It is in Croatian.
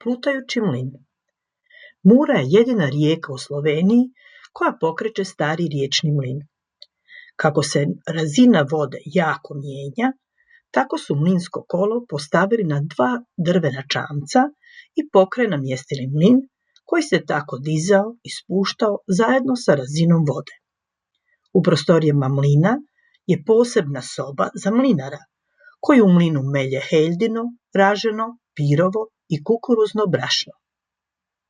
plutajući mlin. Mura je jedina rijeka u Sloveniji koja pokreće stari riječni mlin. Kako se razina vode jako mijenja, tako su mlinsko kolo postavili na 2 drvena čamca i pokraj namjestili mlin koji se tako dizao i spuštao zajedno sa razinom vode. U prostorijama mlina je posebna soba za mlinara, koji u mlinu melje heljino, raženo, pirovo i kukuruzno brašno.